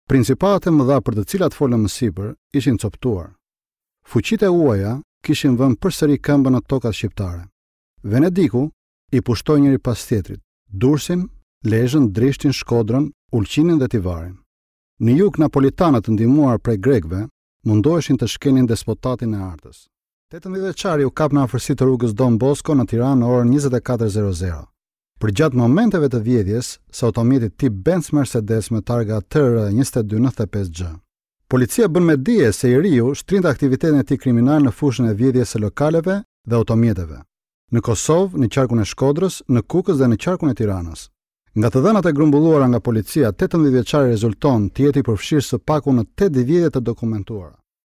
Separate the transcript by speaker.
Speaker 1: Principatat e mëdha për të cilat folëm më sipër ishin copëtuar. Fuqitë e huaja kishin vënë përsëri këmbën në tokat shqiptare. Venediku i pushtoi njëri pas tjetrit, Durrësin, Lezhën, Drishtin, Shkodrën, Ulqinin dhe Tivarin. Në jug napolitanët të ndihmuar prej grekëve mundoheshin të shkelnin despotatin e Artës. 18 vjeçari u kap në afërsi të rrugës Don Bosco në Tiranë në orën 24:00. Përgjatë momenteve të vjedhjes së automjetit tip Benz Mercedes me targa TR 2295 G. Policia bën me dije se i riu shtrinte aktivitetin e tij kriminal në fushën e vjedhjes së lokaleve dhe automjeteve. Në Kosovë, në qarkun e Shkodrës, në Kukës dhe në qarkun e Tiranës. Nga të dhënat e grumbulluara nga policia, 18 vjeçari rezulton të jetë i përfshirë së paku në 8 vjedhje të dokumentuara.